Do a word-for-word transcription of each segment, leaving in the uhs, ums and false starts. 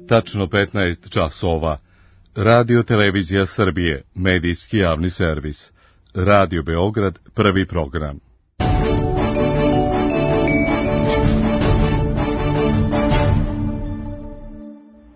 tačno petnaest časova. Radio Televizija Srbije, medijski javni servis. Radio Beograd, prvi program.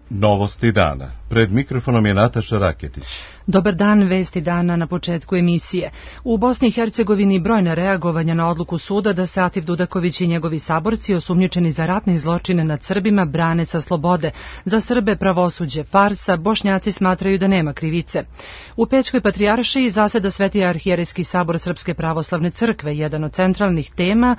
Novosti dana. Pred mikrofonom je Nataša Raketić. Dobar dan, vesti dana na početku emisije. U Bosni i Hercegovini brojna reagovanja na odluku suda da se Atif Dudaković i njegovi saborci osumnjičeni za ratne zločine nad Srbima brane sa slobode. Za Srbe pravosuđe farsa, Bošnjaci smatraju da nema krivice. U Pećkoj patrijaršiji zaseda Sveti arhijerejski sabor Srpske pravoslavne crkve, jedan od centralnih tema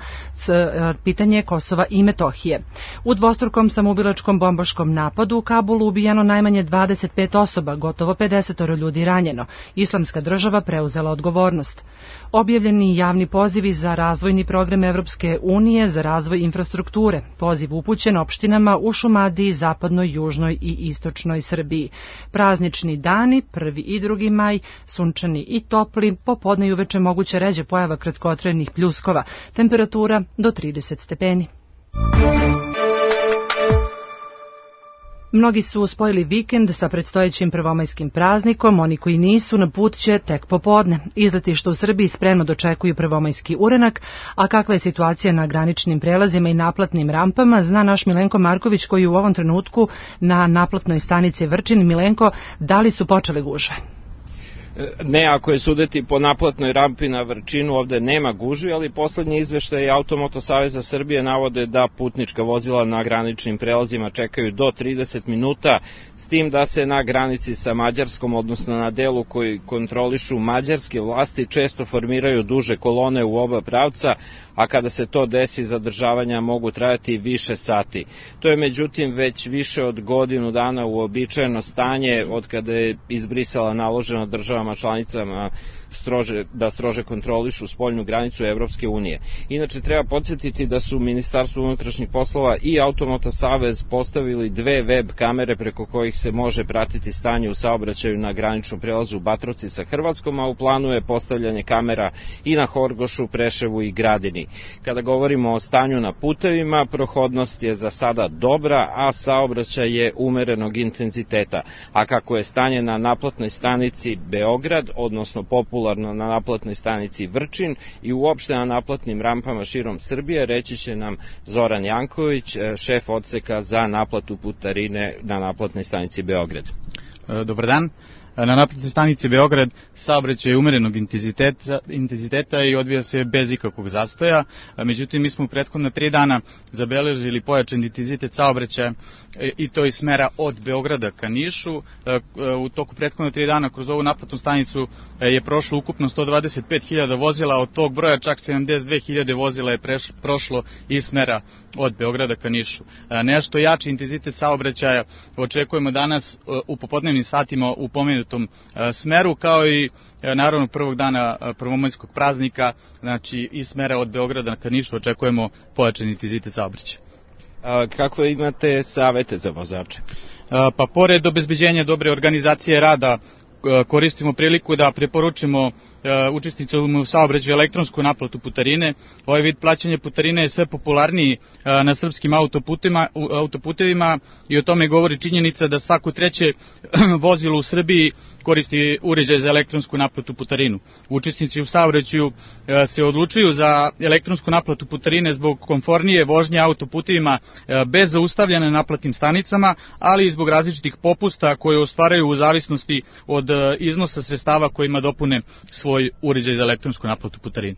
pitanje Kosova i Metohije. U dvostrukom samoubilačkom bombaškom napadu u Kabulu ubijeno najmanje dvadeset pet osoba, gotovo pedeset ljudi ranjeno. Islamska država preuzela odgovornost. Objavljeni javni pozivi za razvojni program Evropske unije za razvoj infrastrukture. Poziv upućen opštinama u Šumadiji, zapadnoj, južnoj i istočnoj Srbiji. Praznični dani, prvi i drugi maj, sunčani i topli, popodne i uveče moguće ređe pojava kratkotrenih pljuskova. Temperatura do trideset stepeni. Mnogi su spojili vikend sa predstojećim prvomajskim praznikom, oni koji nisu na put će tek popodne. Izletišta u Srbiji spremno dočekuju prvomajski urenak, a kakva je situacija na graničnim prelazima i naplatnim rampama zna naš Milenko Marković koji je u ovom trenutku na naplatnoj stanici Vrčin. Milenko, da li su počele gužve? Ne, ako je sudeti po naplatnoj rampi na Vrčinu, ovde nema gužvi, ali poslednji izveštaj Automoto Saveza Srbije navode da putnička vozila na graničnim prelazima čekaju do trideset minuta, s tim da se na granici sa Mađarskom, odnosno na delu koji kontrolišu mađarske vlasti, često formiraju duže kolone u oba pravca, a kada se to desi, zadržavanja mogu trajati više sati. To je međutim već više od godinu dana uobičajeno stanje od kada je iz Brisela naloženo državama članicama strože, da strože kontrolišu spoljnu granicu Evropske unije. Inače, treba podsjetiti da su Ministarstvo unutrašnjih poslova i Automoto Savez postavili dve web kamere preko kojih se može pratiti stanje u saobraćaju na graničnom prelazu Batrovci sa Hrvatskom, a u planu je postavljanje kamera i na Horgošu, Preševu i Gradini. Kada govorimo o stanju na putevima, prohodnost je za sada dobra, a saobraćaj je umerenog intenziteta. A kako je stanje na naplatnoj stanici Beograd, odnosno popularno na naplatnoj stanici Vrčin i uopšte na naplatnim rampama širom Srbije, reći će nam Zoran Janković, šef odseka za naplatu putarine na naplatnoj stanici Beograd. Dobar dan. Na naplatnoj stanici Beograd saobraćaj je umerenog intenziteta, intenziteta i odvija se bez ikakvog zastoja. Međutim, mi smo u prethodna tri dana zabeležili pojačan intenzitet saobraćaja i to iz smera od Beograda ka Nišu. U toku prethodna tri dana kroz ovu naplatnu stanicu je prošlo ukupno sto dvadeset pet hiljada vozila, od tog broja čak sedamdeset dve hiljade vozila je preš, prošlo iz smera od Beograda ka Nišu. Nešto jači intenzitet saobraćaja očekujemo danas u popodnevnim satima u pomenutom smeru, kao i naravno prvog dana prvomajskog praznika, znači iz smera od Beograda ka Nišu očekujemo pojačan intenzitet saobraćaja. Kakve imate savete za vozače? Pa pored obezbeđenja dobre organizacije rada, koristimo priliku da preporučimo učesnicima u saobraćaju elektronsku naplatu putarine. Ovaj vid plaćanja putarine je sve popularniji na srpskim autoputevima i o tome govori činjenica da svako treće vozilo u Srbiji koristi uređaj za elektronsku naplatu putarinu. Učesnici u saobraćaju se odlučuju za elektronsku naplatu putarine zbog komfornije vožnje autoputevima bez zaustavljanja na naplatnim stanicama, ali i zbog različitih popusta koje ostvaraju u zavisnosti od iznosa sredstava kojima dopune svoj uređaj za elektronsku naplatu putarine.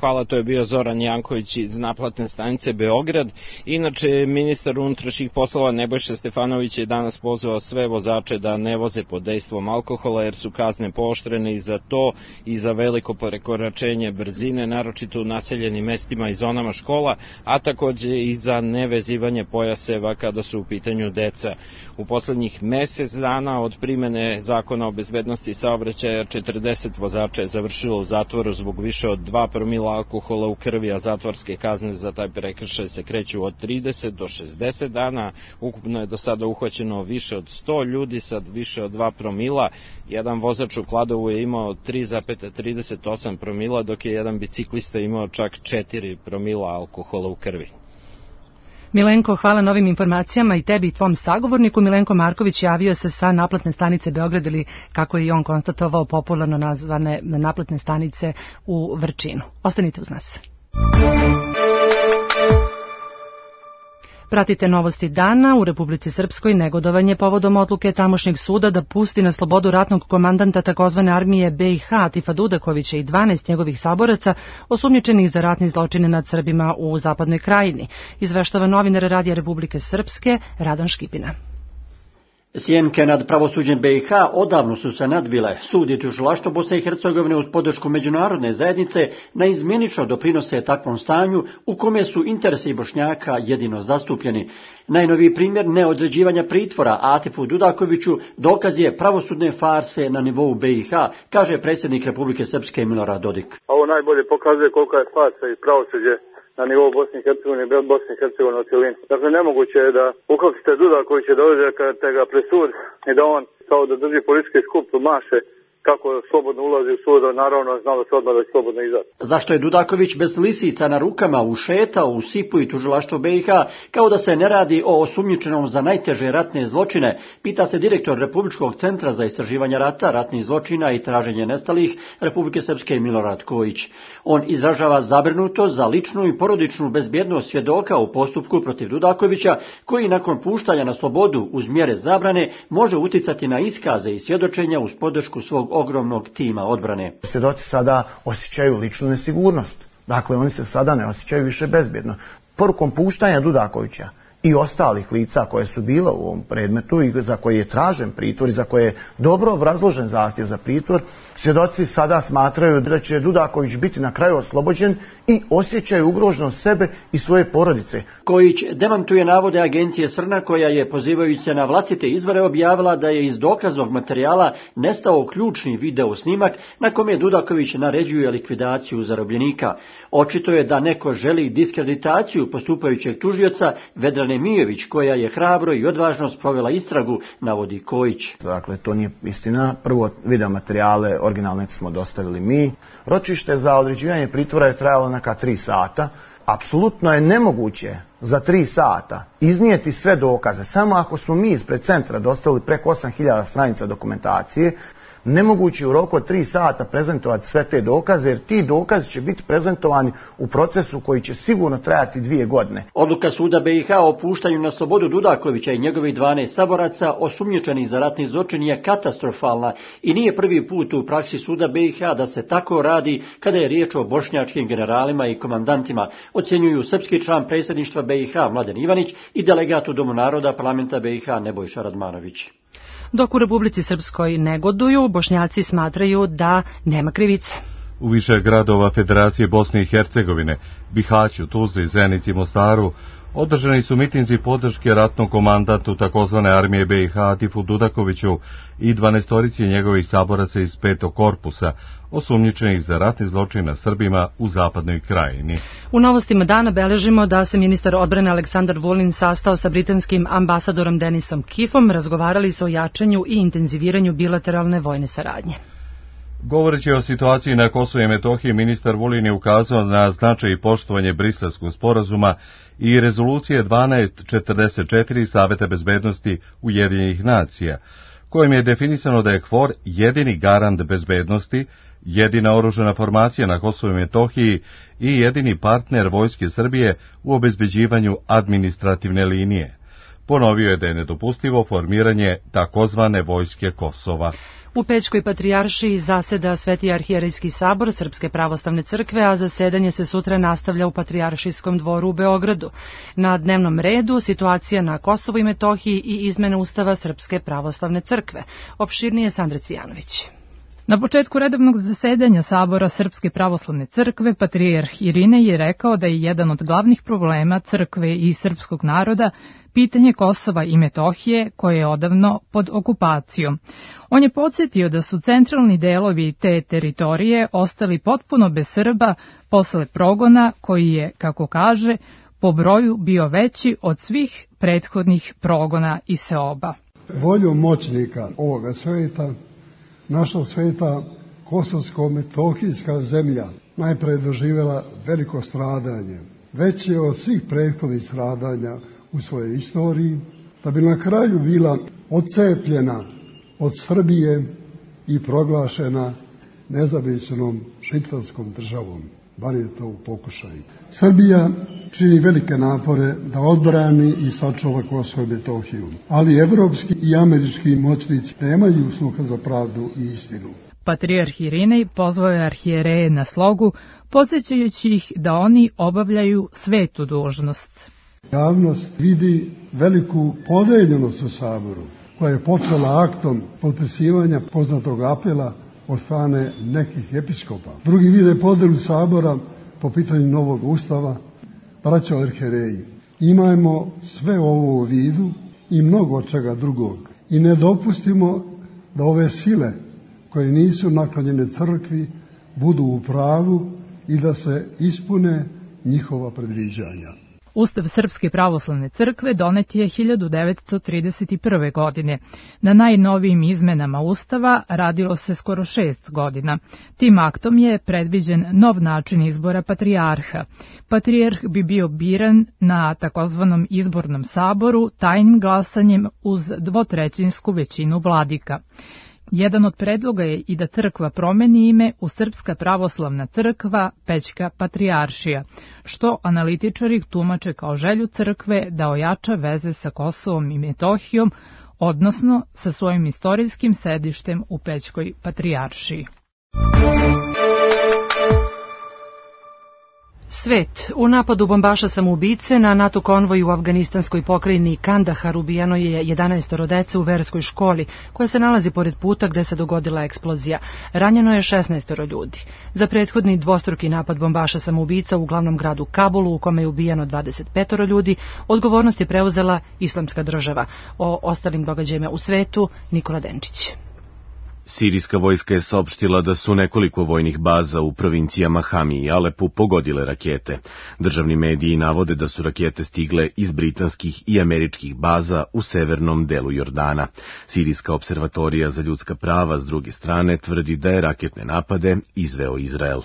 Hvala, to je bio Zoran Janković iz naplatne stanice Beograd. Inače, ministar unutrašnjih poslova Nebojša Stefanović je danas pozvao sve vozače da ne voze pod dejstvom alkohola, jer su kazne pooštrene i za to i za veliko prekoračenje brzine, naročito u naseljenim mestima i zonama škola, a takođe i za nevezivanje pojaseva kada su u pitanju deca. U poslednjih mesec dana od primene zakona o bezbednosti saobraćaja četrdeset vozača je završilo u zatvoru zbog više od dva promila alkohola u krvi, a zatvorske kazne za taj prekršaj se kreću od trideset do šezdeset dana. Ukupno je do sada uhvaćeno više od sto ljudi sa više od dva promila. Jedan vozač u Kladovu je imao tri zarez trideset osam promila, dok je jedan biciklista imao čak četiri promila alkohola u krvi. Milenko, hvala na ovim informacijama i tebi i tvom sagovorniku. Milenko Marković javio se sa naplatne stanice Beograd, ili kako je i on konstatovao, popularno nazvane naplatne stanice u Vrčinu. Ostanite uz nas. Pratite novosti dana. U Republici Srpskoj negodovanje povodom odluke tamošnjeg suda da pusti na slobodu ratnog komandanta takozvane armije B i H Atifa Dudakovića i dvanaest njegovih saboraca osumnjičenih za ratni zločine nad Srbima u Zapadnoj Krajini, izveštava novinar Radija Republike Srpske Radan Škipina. Sjenke nad pravosuđem B i H odavno su se nadvile. Sud i tužilaštvo Bosne i Hercegovine uz podršku međunarodne zajednice naizmjenično doprinose takvom stanju u kome su interesi Bošnjaka jedino zastupljeni. Najnoviji primjer neodređivanja pritvora Atifu Dudakoviću dokaz je pravosudne farse na nivou B i H, kaže predsjednik Republike Srpske Milorad Dodik. Ovo najbolje pokazuje kolika je farsa i pravosuđe na nivou Bosne i Hercegovine i Bosne i Hercegovine u cjelini. Dakle, nemoguće je da uhapsite Dudakovića, da dođete ga pred sud i da on kao da drži policijski skup maše kako slobodno ulazi u sud, naravno znalo se odmah da će slobodno izaći. Zašto je Dudaković bez lisica na rukama ušetao u Sipu i tužilaštvo B i H kao da se ne radi o osumnjičenom za najteže ratne zločine, pita se direktor Republičkog centra za istraživanje rata, ratnih zločina i traženje nestalih Republike Srpske Milorad Kojić. On izražava zabrinutost za ličnu i porodičnu bezbjednost svjedoka u postupku protiv Dudakovića, koji nakon puštanja na slobodu uz mjere zabrane može uticati na iskaze i svjedočenja uz podršku svog ogromnog tima odbrane. Svjedoci sada osjećaju ličnu nesigurnost. Dakle, oni se sada ne osjećaju više bezbjedno. Porukom puštanja Dudakovića i ostalih lica koje su bila u ovom predmetu i za koje je tražen pritvor i za koje je dobro obrazložen zahtjev za pritvor, svjedoci sada smatraju da će Dudaković biti na kraju oslobođen i osjećaju ugroženost sebe i svoje porodice. Kojić demantuje navode agencije Srna, koja je, pozivajući se na vlastite izvore, objavila da je iz dokaznog materijala nestao ključni video snimak na kome Dudaković naređuje likvidaciju zarobljenika. Očito je da neko želi diskreditaciju postupajućeg tužioca Vedrane Mijović, koja je hrabro i odvažno sprovela istragu, navodi Kojić. Dakle, to nije istina. Prvo, video materijale originalne smo dostavili mi. Ročište za određivanje pritvora je trajalo neka tri sata. Apsolutno je nemoguće za tri sata iznijeti sve dokaze. Samo ako smo mi ispred centra dostavili preko osam hiljada stranica dokumentacije, nemoguće u roku od tri sata prezentovati sve te dokaze, jer ti dokazi će biti prezentovani u procesu koji će sigurno trajati dvije godine. Odluka suda B i H o puštanju na slobodu Dudakovića i njegovih dvanaest saboraca osumnjičenih za ratni zločin je katastrofalna i nije prvi put u praksi suda B i H da se tako radi kada je riječ o bošnjačkim generalima i komandantima, ocjenjuju srpski član predsjedništva B i H Mladen Ivanić i delegat u Domu naroda parlamenta B i H Nebojša Radmanović. Dok u Republici Srpskoj negoduju, Bošnjaci smatraju da nema krivice. U više gradova Federacije Bosne i Hercegovine, Bihaću, Tuzli, Zenici i Mostaru, održani su mitinzi podrške ratnom komandantu takozvane armije B i H Atifu Dudakoviću i dvanaestorici njegovih saboraca iz petog korpusa, osumnjičenih za ratni zločin na Srbima u Zapadnoj Krajini. U novostima dana beležimo da se ministar odbrane Aleksandar Vulin sastao sa britanskim ambasadorom Denisom Kifom, razgovarali su o jačanju i intenziviranju bilateralne vojne saradnje. Govoreći o situaciji na Kosovu i Metohiji, ministar Vulin je ukazao na značaj i poštovanje Briselskog sporazuma i rezolucije dvanaest četrdeset četiri Saveta bezbednosti Ujedinjenih nacija, kojim je definisano da je K F O R jedini garant bezbednosti, jedina oružana formacija na Kosovu i Metohiji i jedini partner Vojske Srbije u obezbeđivanju administrativne linije. Ponovio je da je nedopustivo formiranje takozvane Vojske Kosova. U Pećkoj patrijaršiji zaseda Sveti arhijerejski sabor Srpske pravoslavne crkve, a zasedanje se sutra nastavlja u Patrijaršijskom dvoru u Beogradu. Na dnevnom redu situacija na Kosovu i Metohiji i izmene Ustava Srpske pravoslavne crkve. Opširnije Sandra Cvijanović. Na početku redovnog zasedanja Sabora Srpske pravoslavne crkve, patrijarh Irinej je rekao da je jedan od glavnih problema crkve i srpskog naroda pitanje Kosova i Metohije, koje je odavno pod okupacijom. On je podsjetio da su centralni delovi te teritorije ostali potpuno bez Srba posle progona koji je, kako kaže, po broju bio veći od svih prethodnih progona i seoba. Voljom moćnika ovoga sveta, naša sveta kosovsko-metohijska zemlja najpre doživjela veliko stradanje. veće od svih prethodnih stradanja u svojoj istoriji, da bi na kraju bila odcepljena od Srbije i proglašena nezavisnom švicarskom državom, bar je to u pokušaju. Srbija čini velike napore da odbrani i sačuva Kosovo i Metohiju, ali evropski i američki moćnici nemaju sluha za pravdu i istinu. Patrijarh Irinej pozvao je arhijereje na slogu, podsjećajući ih da oni obavljaju svetu dužnost. Javnost vidi veliku podeljenost u Saboru, koja je počela aktom potpisivanja poznatog apela od strane nekih episkopa. Drugi vide podelu Sabora po pitanju novog ustava. Braćo arhijereji, imajmo sve ovo u vidu i mnogo čega drugog i ne dopustimo da ove sile koje nisu naklonjene crkvi budu u pravu i da se ispune njihova predviđanja. Ustav Srpske pravoslavne crkve donet je hiljadu devetsto trideset prve. godine. Na najnovijim izmenama Ustava radilo se skoro šest godina. Tim aktom je predviđen nov način izbora patrijarha. Patrijarh bi bio biran na takozvanom izbornom saboru tajnim glasanjem uz dvotrećinsku većinu vladika. Jedan od predloga je i da crkva promeni ime u Srpska pravoslavna crkva Pećka patrijaršija, što analitičari tumače kao želju crkve da ojača veze sa Kosovom i Metohijom, odnosno sa svojim istorijskim sedištem u Pećkoj patrijaršiji. Svet. U napadu bombaša samoubice na NATO konvoj u afganistanskoj pokrajini Kandahar ubijeno je jedanaestoro dece u verskoj školi, koja se nalazi pored puta gde se dogodila eksplozija. Ranjeno je šesnaestoro ljudi. Za prethodni dvostruki napad bombaša samoubica u glavnom gradu Kabulu, u kome je ubijeno dvadeset petoro ljudi, odgovornost je preuzela Islamska država. O ostalim događajima u svetu, Nikola Denčić. Sirijska vojska je saopštila da su nekoliko vojnih baza u provincijama Hami i Alepu pogodile rakete. Državni mediji navode da su rakete stigle iz britanskih i američkih baza u severnom delu Jordana. Sirijska observatorija za ljudska prava s druge strane tvrdi da je raketne napade izveo Izrael.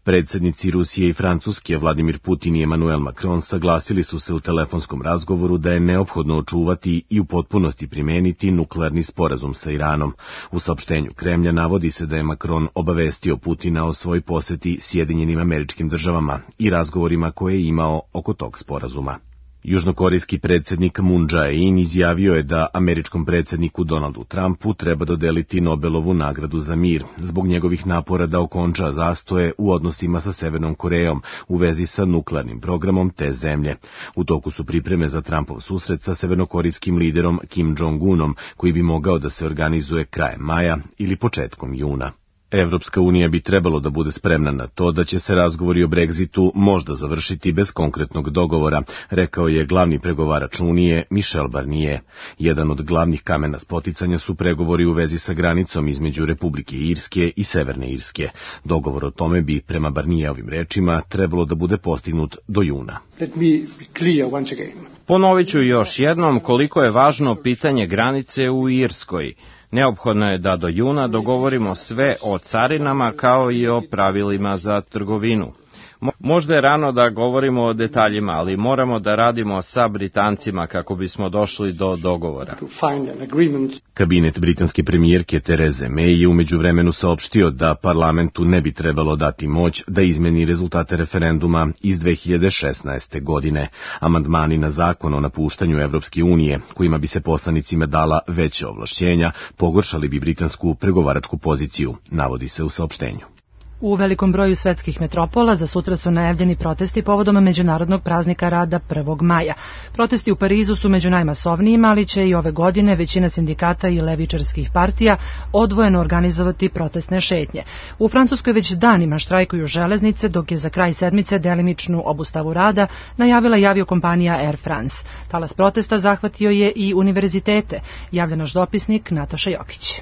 Predsednici Rusije i Francuske Vladimir Putin i Emmanuel Macron saglasili su se u telefonskom razgovoru da je neophodno očuvati i u potpunosti primeniti nuklearni sporazum sa Iranom. U saopštenju Kremlja navodi se da je Macron obavestio Putina o svoj poseti Sjedinjenim Američkim Državama i razgovorima koje je imao oko tog sporazuma. Južnokorejski predsjednik Moon Jae-in izjavio je da američkom predsjedniku Donaldu Trumpu treba dodeliti Nobelovu nagradu za mir zbog njegovih napora da okonča zastoje u odnosima sa Severnom Korejom u vezi sa nuklearnim programom te zemlje. U toku su pripreme za Trumpov susret sa severnokorejskim liderom Kim Jong-unom, koji bi mogao da se organizuje krajem maja ili početkom juna. Evropska unija bi trebalo da bude spremna na to da će se razgovori o Brexitu možda završiti bez konkretnog dogovora, rekao je glavni pregovarač Unije Michel Barnier. Jedan od glavnih kamena spoticanja su pregovori u vezi sa granicom između Republike Irske i Severne Irske. Dogovor o tome bi, prema Barnierovim rečima, trebalo da bude postignut do juna. Ponovit ću još jednom koliko je važno pitanje granice u Irskoj. Neophodno je da do juna dogovorimo sve o carinama kao i o pravilima za trgovinu. Možda je rano da govorimo o detaljima, ali moramo da radimo sa Britancima kako bismo došli do dogovora. Kabinet britanske premijerke Tereze May je u međuvremenu saopštio da parlamentu ne bi trebalo dati moć da izmeni rezultate referenduma iz dve hiljade šesnaeste. godine. Amandmani na zakon o napuštanju Evropske unije, kojima bi se poslanicima dala veće ovlašćenja, pogoršali bi britansku pregovaračku poziciju, navodi se u saopštenju. U velikom broju svetskih metropola za sutra su najavljeni protesti povodom Međunarodnog praznika rada prvog maja. Protesti u Parizu su među najmasovnijima, ali će i ove godine većina sindikata i levičarskih partija odvojeno organizovati protestne šetnje. U Francuskoj već danima štrajkuju železnice, dok je za kraj sedmice delimičnu obustavu rada najavila i aviokompanija Air France. Talas protesta zahvatio je i univerzitete, javlja naš dopisnik Nataša Jokić.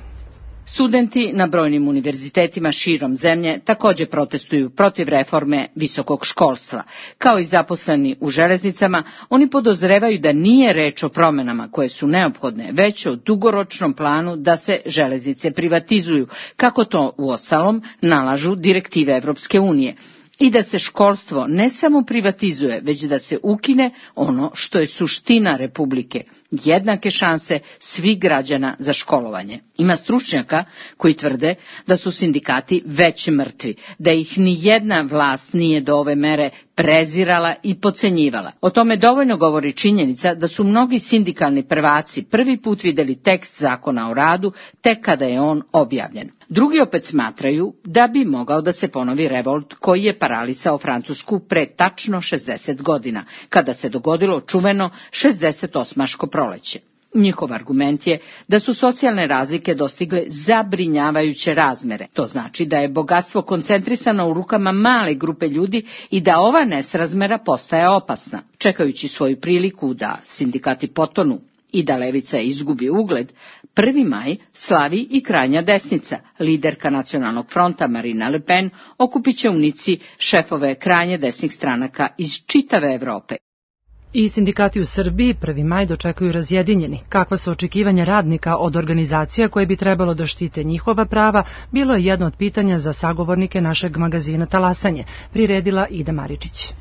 Studenti na brojnim univerzitetima širom zemlje također protestuju protiv reforme visokog školstva. Kao i zaposleni u železnicama, oni podozrevaju da nije reč o promjenama koje su neophodne, već o dugoročnom planu da se železnice privatizuju, kako to uostalom nalažu direktive Evropske unije. i da se školstvo ne samo privatizuje, već da se ukine ono što je suština Republike, jednake šanse svih građana za školovanje. Ima stručnjaka koji tvrde da su sindikati već mrtvi, da ih ni jedna vlast nije do ove mere prezirala i podcenjivala. O tome dovoljno govori činjenica da su mnogi sindikalni prvaci prvi put vidjeli tekst zakona o radu tek kada je on objavljen. Drugi opet smatraju da bi mogao da se ponovi revolt koji je paralisao Francusku pre tačno šezdeset godina, kada se dogodilo čuveno šezdesetosmaško proleće. Njihov argument je da su socijalne razlike dostigle zabrinjavajuće razmere. To znači da je bogatstvo koncentrisano u rukama male grupe ljudi i da ova nesrazmera postaje opasna. Čekajući svoju priliku da sindikati potonu i da levica izgubi ugled, prvi maj slavi i krajnja desnica. Liderka Nacionalnog fronta Marine Le Pen okupit će u Nici šefove krajnje desnih stranaka iz čitave Evrope. I sindikati u Srbiji prvi maj dočekuju razjedinjeni. Kakva su očekivanja radnika od organizacija koje bi trebalo da štite njihova prava, bilo je jedno od pitanja za sagovornike našeg magazina Talasanje, priredila Ida Maričić.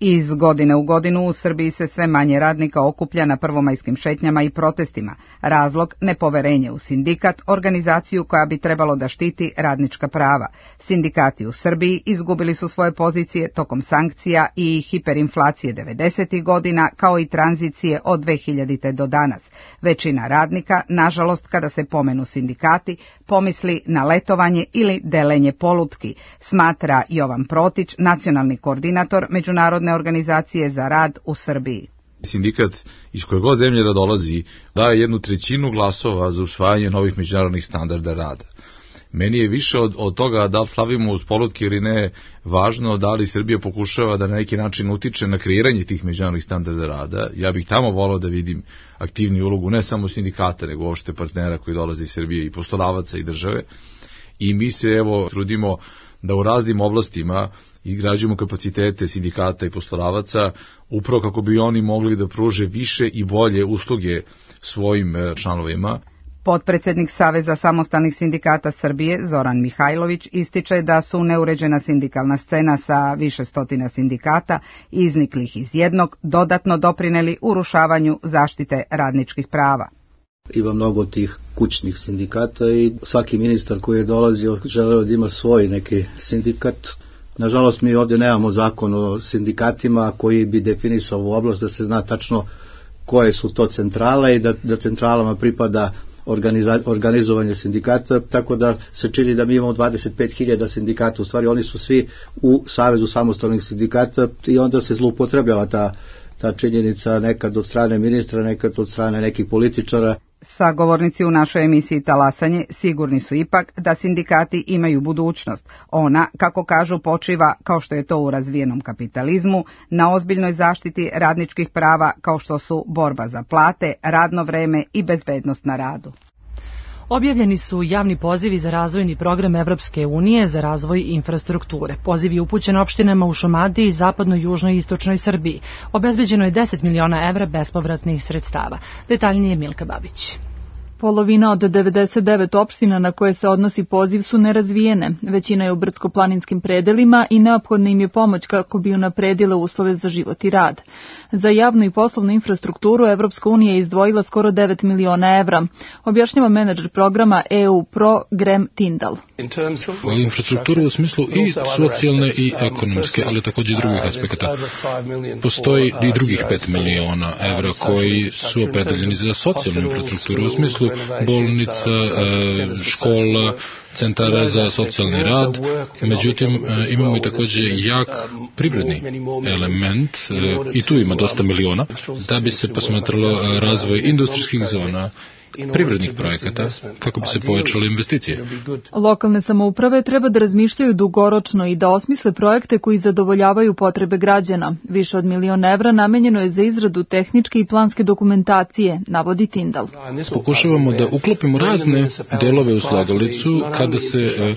Iz godine u godinu u Srbiji se sve manje radnika okuplja na prvomajskim šetnjama i protestima. Razlog nepoverenje u sindikat, organizaciju koja bi trebalo da štiti radnička prava. Sindikati u Srbiji izgubili su svoje pozicije tokom sankcija i hiperinflacije devedesetih godina, kao i tranzicije od dve hiljadite do danas. Većina radnika, nažalost, kada se pomenu sindikati, pomisli na letovanje ili delenje polutki, smatra Jovan Protić, nacionalni koordinator Međunarodne organizacije za rad u Srbiji. Sindikat iz koje god zemlje da dolazi daje jednu trećinu glasova za usvajanje novih međunarodnih standarda rada. Meni je više od, od toga da li slavimo uz polutke ili ne važno da li Srbija pokušava da na neki način utiče na kreiranje tih međunarodnih standarda rada. Ja bih tamo volao da vidim aktivniju ulogu ne samo sindikata, nego uopšte partnera koji dolaze iz Srbije i poslodavaca i države. I mi se evo trudimo da u raznim oblastima izgrađujemo kapacitete sindikata i poslodavaca upravo kako bi oni mogli da pruže više i bolje usluge svojim članovima. Potpredsednik Saveza samostalnih sindikata Srbije, Zoran Mihajlović, ističe da su neuređena sindikalna scena sa više stotina sindikata, izniklih iz jednog, dodatno doprineli urušavanju zaštite radničkih prava. Ima mnogo tih kućnih sindikata i svaki ministar koji je dolazio želeo da ima svoj neki sindikat. Nažalost, mi ovdje nemamo zakon o sindikatima koji bi definisao ovu oblast da se zna tačno koje su to centrale i da, da centralama pripada organiza, organizovanje sindikata, tako da se čini da mi imamo dvadeset pet hiljada sindikata, u stvari oni su svi u Savezu samostalnih sindikata i onda se zloupotrebljava ta, ta činjenica nekad od strane ministra, nekad od strane nekih političara. Sagovornici u našoj emisiji Talasanje sigurni su ipak da sindikati imaju budućnost. Ona, kako kažu, počiva, kao što je to u razvijenom kapitalizmu, na ozbiljnoj zaštiti radničkih prava kao što su borba za plate, radno vreme i bezbednost na radu. Objavljeni su javni pozivi za razvojni program Evropske unije za razvoj infrastrukture. Poziv je upućen opštinama u Šumadiji, zapadnoj, južnoj i istočnoj Srbiji. Obezbeđeno je deset miliona evra bespovratnih sredstava. Detaljnije Milka Babić. Polovina od devedeset devet opština na koje se odnosi poziv su nerazvijene. Većina je u brdsko-planinskim predelima i neophodna im je pomoć kako bi unapredile uslove za život i rad. Za javnu i poslovnu infrastrukturu Evropska unija je izdvojila skoro devet miliona evra, objašnjava menadžer programa E U Pro Graham Tyndall. Infrastruktura u smislu i socijalne i ekonomske, ali također i drugih aspekata. Postoji i drugih pet miliona evra koji su opredeljeni za socijalnu infrastrukturu u smislu bolnica, škola, centara za socijalni rad, međutim imamo i također jak privredni element i tu ima dosta miliona da bi se posmatralo razvoj industrijskih zona, privrednih projekata kako bi se povećale investicije. Lokalne samouprave treba da razmišljaju dugoročno i da osmisle projekte koji zadovoljavaju potrebe građana. Više od milion evra namenjeno je za izradu tehničke i planske dokumentacije, navodi Tyndall. Pokušavamo da uklopimo razne delove u slagalicu kada se e,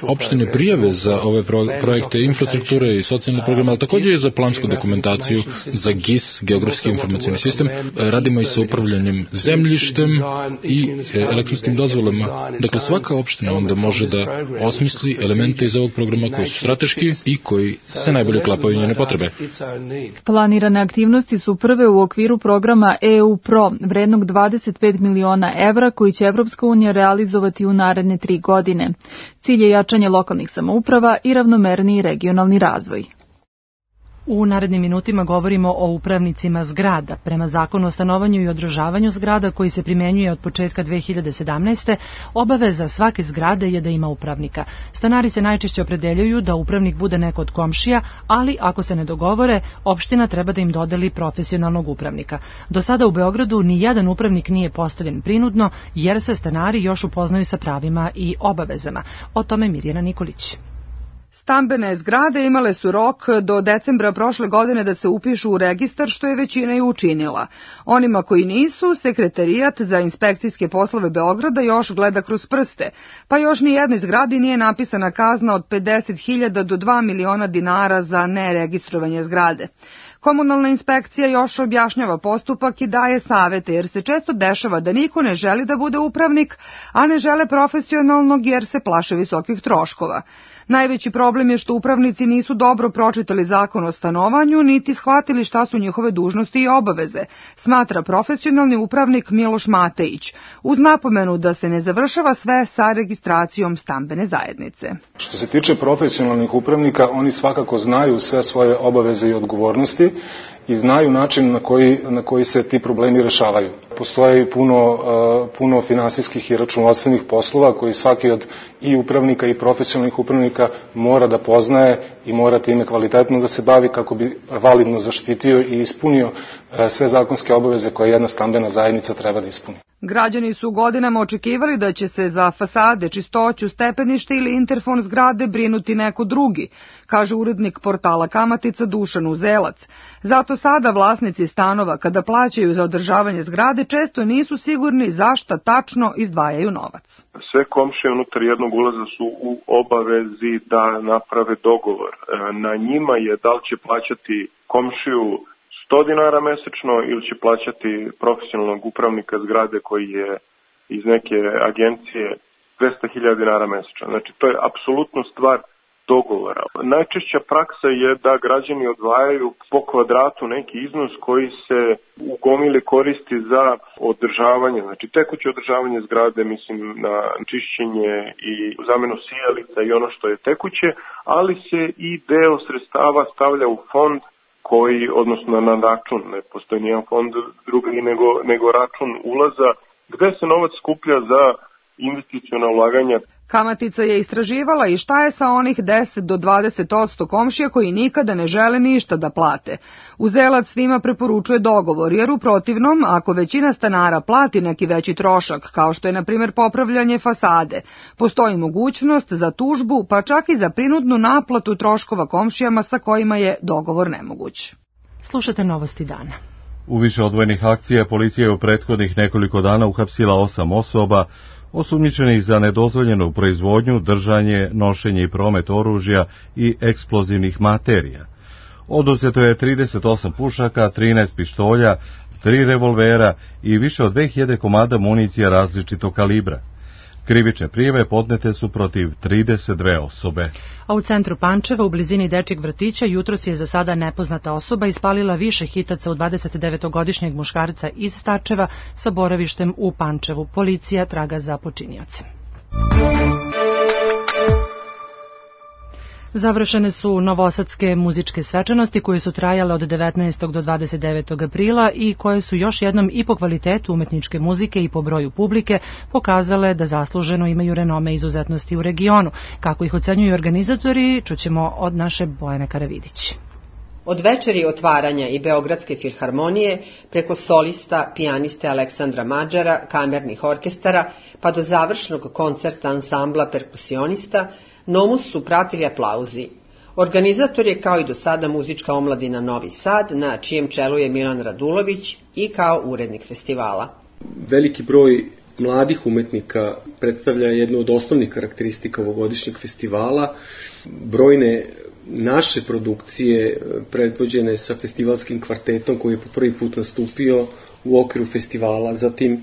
opštine prijave za ove projekte infrastrukture i socijalne programe, ali također i za plansku dokumentaciju, za G I S, geografski informacijni sistem. Radimo i sa upravljanjem zemljišta, zemljištem i elektronskim dozvolama. Dakle, svaka opština onda može da osmisli elemente iz ovog programa koji su strateški i koji se najbolje uklapaju u njene potrebe. Planirane aktivnosti su prve u okviru programa E U Pro, vrednog dvadeset pet miliona evra, koji će Evropska unija realizovati u naredne tri godine. Cilj je jačanje lokalnih samouprava i ravnomerniji regionalni razvoj. U narednim minutima govorimo o upravnicima zgrada. Prema zakonu o stanovanju i održavanju zgrada koji se primenjuje od početka dve hiljade sedamnaeste. obaveza svake zgrade je da ima upravnika. Stanari se najčešće opredeljuju da upravnik bude neko od komšija, ali ako se ne dogovore, opština treba da im dodeli profesionalnog upravnika. Do sada u Beogradu ni jedan upravnik nije postavljen prinudno, jer se stanari još upoznaju sa pravima i obavezama. O tome Mirjana Nikolić. Stambene zgrade imale su rok do decembra prošle godine da se upišu u registar, što je većina i učinila. Onima koji nisu, Sekretarijat za inspekcijske poslove Beograda još gleda kroz prste, pa još ni jednoj zgradi nije napisana kazna od pedeset hiljada do dva miliona dinara za neregistrovanje zgrade. Komunalna inspekcija još objašnjava postupak i daje savete, jer se često dešava da niko ne želi da bude upravnik, a ne žele profesionalnog jer se plaše visokih troškova. Najveći problem je što upravnici nisu dobro pročitali zakon o stanovanju, niti shvatili šta su njihove dužnosti i obaveze, smatra profesionalni upravnik Miloš Matejić, uz napomenu da se ne završava sve sa registracijom stambene zajednice. Što se tiče profesionalnih upravnika, oni svakako znaju sve svoje obaveze i odgovornosti i znaju način na koji, na koji se ti problemi rešavaju. Postoje i puno, puno finansijskih i računovodstvenih poslova koji svaki od i upravnika i profesionalnih upravnika mora da poznaje i mora time kvalitetno da se bavi kako bi validno zaštitio i ispunio sve zakonske obaveze koje jedna stambena zajednica treba da ispuni. Građani su godinama očekivali da će se za fasade, čistoću, stepenište ili interfon zgrade brinuti neko drugi, kaže urednik portala Kamatica Dušan Uzelac. Zato sada vlasnici stanova, kada plaćaju za održavanje zgrade, često nisu sigurni zašta tačno izdvajaju novac. Sve komšije unutar jednog ulaza su u obavezi da naprave dogovor. Na njima je da li će plaćati komšiju sto dinara mesečno ili će plaćati profesionalnog upravnika zgrade koji je iz neke agencije dvesta hiljada dinara mesečno. Znači, to je apsolutno stvar dogovora. Najčešća praksa je da građani odvajaju po kvadratu neki iznos koji se u gomili koristi za održavanje, znači tekuće održavanje zgrade, mislim na čišćenje i zamenu sijalica i ono što je tekuće, ali se i deo sredstava stavlja u fond koji, odnosno na račun, ne postoji nijedan fond drugi nego, nego račun ulaza, gde se novac skuplja za investiciona ulaganja. Kamatica je istraživala i šta je sa onih deset do dvadeset posto komšija koji nikada ne žele ništa da plate. Uzelac svima preporučuje dogovor, jer u protivnom, ako većina stanara plati neki veći trošak, kao što je na primjer popravljanje fasade, postoji mogućnost za tužbu, pa čak i za prinudnu naplatu troškova komšijama sa kojima je dogovor nemoguć. Slušate Novosti dana. U više odvojenih akcija policija je u prethodnih nekoliko dana uhapsila osam osoba osumnjičenih za nedozvoljenu proizvodnju, držanje, nošenje i promet oružja i eksplozivnih materija. Oduzeto je trideset osam pušaka, trinaest pištolja, tri revolvera i više od dve hiljade komada municija različitog kalibra. Krivične prijave podnete su protiv trideset dve osobe. A u centru Pančeva, u blizini dečjeg vrtića, jutros je za sada nepoznata osoba ispalila više hitaca u dvadesetdevetogodišnjeg muškarca iz Starčeva sa boravištem u Pančevu. Policija traga za počinioce. Završene su novosadske muzičke svečanosti koje su trajale od devetnaestog do dvadeset devetog aprila i koje su još jednom i po kvalitetu umetničke muzike i po broju publike pokazale da zasluženo imaju renome izuzetnosti u regionu. Kako ih ocenjuju organizatori, čućemo od naše Bojane Karavidić. Od večeri otvaranja i Beogradske filharmonije, preko solista, pijaniste Aleksandra Mađara, kamernih orkestara, pa do završnog koncerta ansambla perkusionista, Nomus su pratili aplauzi. Organizator je kao i do sada muzička omladina Novi Sad, na čijem čelu je Milan Radulović i kao urednik festivala. Veliki broj mladih umetnika predstavlja jednu od osnovnih karakteristika ovogodišnjeg festivala. Brojne naše produkcije predvođene sa festivalskim kvartetom koji je po prvi put nastupio u okviru festivala, zatim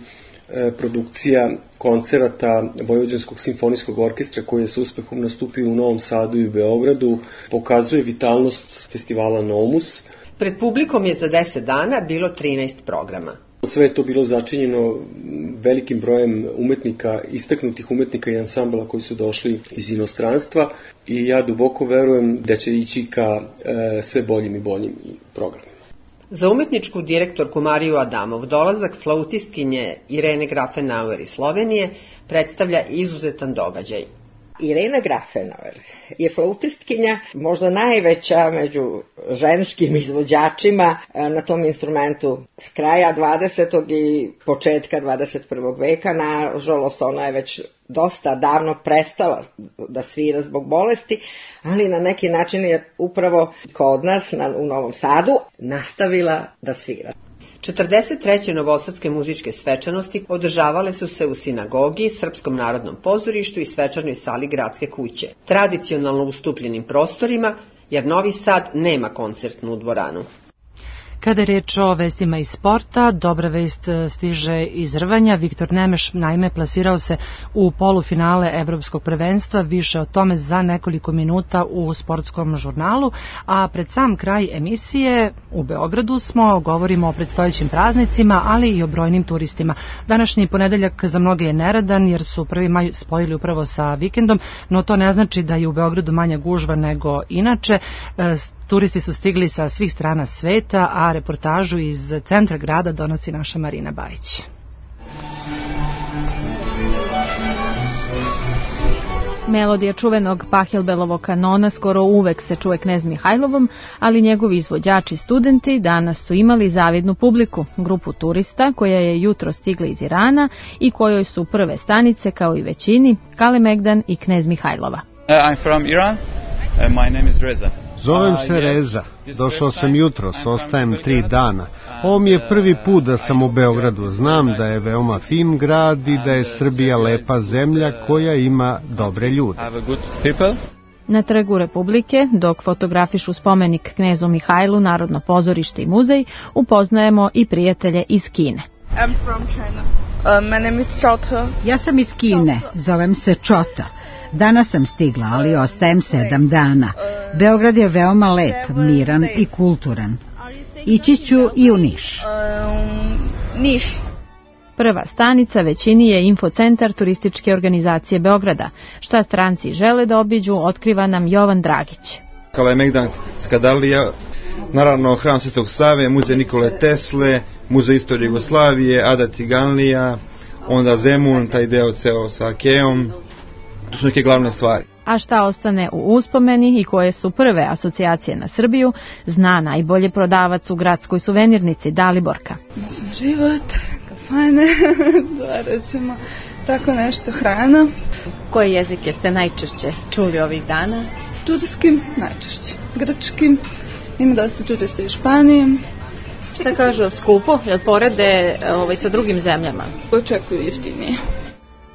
produkcija koncerata Vojvođanskog simfonijskog orkestra koji je sa uspehom nastupio u Novom Sadu i Beogradu, pokazuje vitalnost festivala Nomus. Pred publikom je za deset dana bilo trinaest programa. Sve je to bilo začinjeno velikim brojem umetnika, istaknutih umetnika i ansambla koji su došli iz inostranstva i ja duboko verujem da će ići ka e, sve boljim i boljim programima. Za umetničku direktorku Mariju Adamov dolazak flautistkinje Irene Grafenauer iz Slovenije predstavlja izuzetan događaj. Irena Grafenauer je flautistkinja, možda najveća među ženskim izvođačima na tom instrumentu s kraja dvadesetog i početka dvadeset prvog veka. Nažalost, ona je već dosta davno prestala da svira zbog bolesti, ali na neki način je upravo kod nas na, u Novom Sadu nastavila da svira. četrdeset treće novosadske muzičke svečanosti održavale su se u sinagogi, Srpskom narodnom pozorištu i svečanoj sali gradske kuće, tradicionalno ustupljenim prostorima, jer Novi Sad nema koncertnu dvoranu. Kada je reč o vestima iz sporta, dobra vest stiže iz rvanja. Viktor Nemeš naime plasirao se u polufinale Evropskog prvenstva, više o tome za nekoliko minuta u sportskom žurnalu, a pred sam kraj emisije u Beogradu smo, govorimo o predstojećim praznicima, ali i o brojnim turistima. Današnji ponedeljak za mnoge je neradan jer su prvi maj spojili upravo sa vikendom, no to ne znači da je u Beogradu manja gužva nego inače. Turisti su stigli sa svih strana sveta, a reportažu iz centra grada donosi naša Marina Bajić. Melodija čuvenog Pahjelbelovog kanona skoro uvek se čuje Knez Mihajlovom, ali njegovi izvođači studenti danas su imali zavidnu publiku, grupu turista koja je jutro stigla iz Irana i kojoj su prve stanice, kao i većini, Kalemegdan i Knez Mihajlova. Uh, I'm from Iran. Uh, my name is Reza. Zovem se Reza, došao sam jutros, ostajem tri dana. Ovo mi je prvi put da sam u Beogradu, znam da je veoma fin grad i da je Srbija lepa zemlja koja ima dobre ljude. Na Trgu Republike, dok fotografišu spomenik Knezu Mihajlu, Narodno pozorište i muzej, upoznajemo i prijatelje iz Kine. I'm from China. Uh, my name is Chota. Ja sam iz Kine, zovem se Chota. Danas sam stigla, ali ostajem sedam dana. Beograd je veoma lep, miran i kulturan. Ići ću i u Niš. Niš. Prva stanica većini je infocentar turističke organizacije Beograda. Šta stranci žele da obiđu, otkriva nam Jovan Dragić. Kalemegdan, Skadalija, naravno hram Svetog Save, muzej Nikole Tesle, muzej istorije Jugoslavije, Ada Ciganlija, onda Zemun, taj deo ceo sa Keom. To su neke glavne stvari. A šta ostane u uspomeni i koje su prve asocijacije na Srbiju, zna najbolje prodavac u gradskoj suvenirnici Daliborka. Noćni život, kafane, da recimo, tako nešto, hrana. Koje jezike ste najčešće čuli ovih dana? Turskim, najčešće. Grčkim, ima dosta turista iz Španije. Šta kažu, skupo, jel porede ovaj, sa drugim zemljama? Očekuju jeftinije.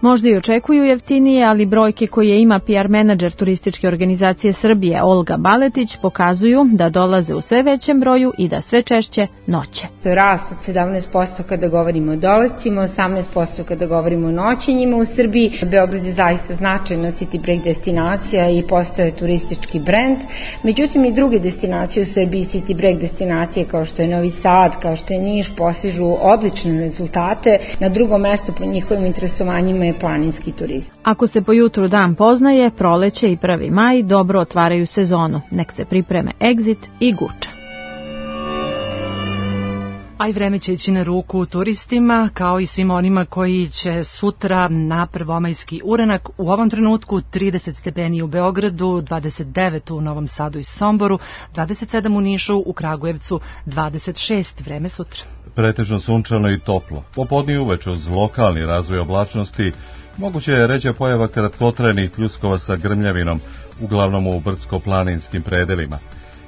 Možda i očekuju jeftinije, ali brojke koje ima P R menadžer turističke organizacije Srbije Olga Baletić pokazuju da dolaze u sve većem broju i da sve češće noće. To je rast od sedamnaest posto kada govorimo o dolascima, osamnaest posto kada govorimo o noćenjima u Srbiji. Beograd je zaista značajna city break destinacija i postaje turistički brend. Međutim i druge destinacije u Srbiji, city break destinacije kao što je Novi Sad, kao što je Niš, postižu odlične rezultate. Na drugom mestu po njihovim interesovanjima je planinski turizam. Ako se po jutru dan poznaje, proleće i prvi maj dobro otvaraju sezonu. Nek se pripreme Exit i Guča. A i vreme će ići na ruku turistima, kao i svim onima koji će sutra na prvomajski uranak. U ovom trenutku trideset stepeni u Beogradu, dvadeset devet u Novom Sadu i Somboru, dvadeset sedam u Nišu, u Kragujevcu dvadeset šest. Vreme sutra. Pretežno sunčano i toplo. Popodne i uveče uz lokalni razvoj oblačnosti moguće je ređa pojava kratkotrajnih pljuskova sa grmljavinom, uglavnom u brdsko-planinskim predelima.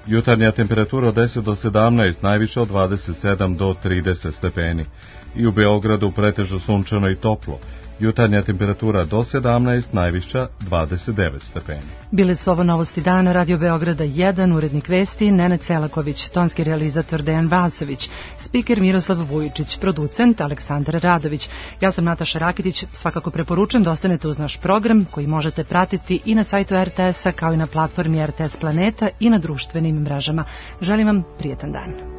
Jutarnja temperatura od deset do sedamnaest, najviše od dvadeset sedam do trideset stepeni. I u Beogradu pretežno sunčano i toplo. Jutarnja temperatura do sedamnaest, najviša dvadeset devet stepeni. Bile su ovo novosti dana, Radio Beograda jedan, urednik vesti Nenad Selaković, tonski realizator Dejan Vasović, spiker Miroslav Vujičić, producent Aleksandar Radović. Ja sam Nataša Rakitić, svakako preporučujem da ostanete uz naš program koji možete pratiti i na sajtu er te esa kao i na platformi er te es Planeta i na društvenim mrežama. Želim vam prijetan dan.